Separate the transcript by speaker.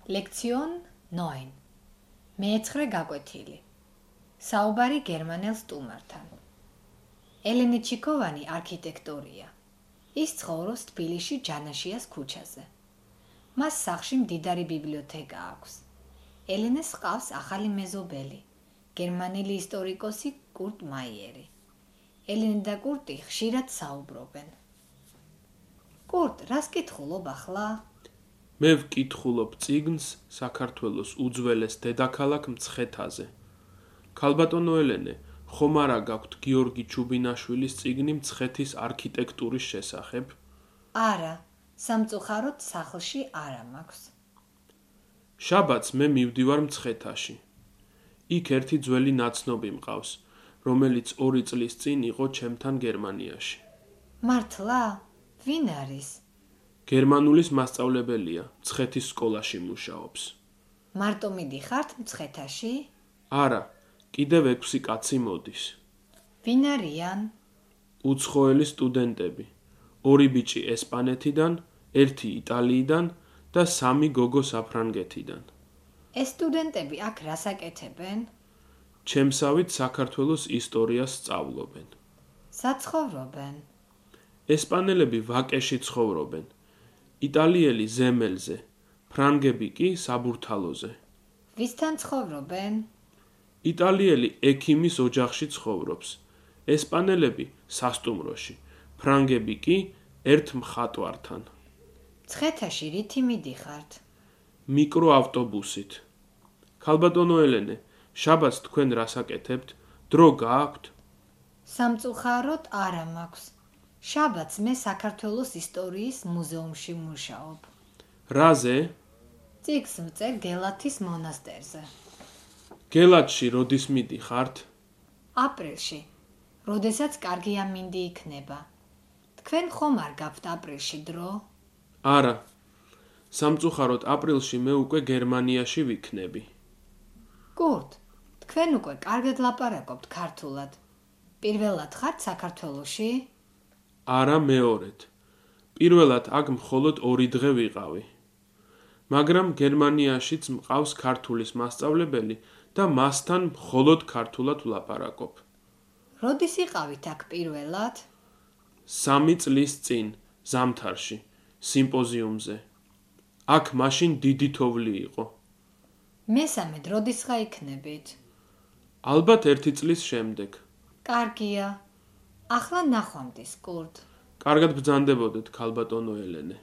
Speaker 1: ლექციონ 9. მეცხრე გაკვეთილი. საუბარი გერმანელ სტუმართან. ელენე ჩიკოვანი არქიტექტორია. ის ცხოვრობს თბილისში ჯანაშიას ქუჩაზე. მას სახლში მდიდარი ბიბლიოთეკა აქვს. ელენეს ჰყავს ახალი მეზობელი, გერმანელი ისტორიკოსი კურტ მაიერი. ელენე და კურტი ხშირად საუბრობენ. კურტ, რას კითხულობ ახლა?
Speaker 2: მე ვკითხულობ წიგნს საქართველოს უძველეს დედაქალაქ მცხეთაზე. ქალბატონო ელენე, ხომ არა გაქვთ გიორგი ჩუბინაშვილის წიგნი მცხეთის არქიტექტურის შესახებ?
Speaker 1: არა, სამწუხაროდ სახლში არა მაქვს.
Speaker 2: შაბათს მე მივდივარ მცხეთაში. იქ ერთი ძველი ნაცნობი მყავს, რომელიც 2 წლის წინ იყო ჩემთან გერმანიაში.
Speaker 1: მართლა? ვინ არის?
Speaker 2: გერმანულის მასწავლებელია, მცხეთის სკოლაში მუშაობს.
Speaker 1: მარტო მიდიხართ მცხეთაში?
Speaker 2: არა, კიდევ 6 კაცი მოდის.
Speaker 1: ვინ არიან?
Speaker 2: უცხოელი სტუდენტები. 2 ბიჭი ესპანეთიდან, 1 იტალიიდან და 3 გოგო საფრანგეთიდან.
Speaker 1: ეს სტუდენტები აქ რას აკეთებენ?
Speaker 2: ჩემსავით საქართველოს ისტორიას სწავლობენ.
Speaker 1: საცხოვრობენ?
Speaker 2: ესპანელები ვაკეში ცხოვრობენ. იტალიელი ზემელზე, ფრანგები კი საბურთალოზე.
Speaker 1: ვისთან ცხოვრობენ?
Speaker 2: იტალიელი ექიმის ოჯახში ცხოვრობს. ესპანელები სასტუმროში, ფრანგები კი ერთ მხატვართან.
Speaker 1: მცხეთაში რითი მიდიხართ?
Speaker 2: მიკროავტობუსით. ქალბატონო ელენე, შაბათს თქვენ რას აკეთებთ? დრო გააქვთ?
Speaker 1: სამწუხაროდ არა მაქვს. შაბათს მე საქართველოს ისტორიის მუზეუმში მუშაობ.
Speaker 2: რაზე?
Speaker 1: წიგნს ვწერ გელათის მონასტერზე.
Speaker 2: გელათში როდის მიდიხართ?
Speaker 1: აპრილში, როდესაც კარგი ამინდი იქნება. თქვენ ხომ არ გაქვთ აპრილში დრო?
Speaker 2: არა. სამწუხაროდ აპრილში მე უკვე გერმანიაში ვიქნები.
Speaker 1: კურტ, თქვენ უკვე კარგად ლაპარაკობთ ქართულად. პირველად ხართ საქართველოში?
Speaker 2: არა, მეორედ. პირველად აქ მხოლოდ 2 დღე ვიყავი. მაგრამ გერმანიაშიც მყავს ქართულის მასწავლებელი და მასთან მხოლოდ ქართულად ვლაპარაკობ.
Speaker 1: როდის იყავით აქ პირველად?
Speaker 2: 3 წლის წინ, ზამთარში, სიმპოზიუმზე. აქ მაშინ დიდი თოვლი იყო.
Speaker 1: მესამედ როდისღა იქნებით?
Speaker 2: ალბათ 1 წლის შემდეგ.
Speaker 1: კარგია. ახლა ნახვამდის, კურტ.
Speaker 2: კარგად ბრძანდებოდეთ, ქალბატონო ელენე.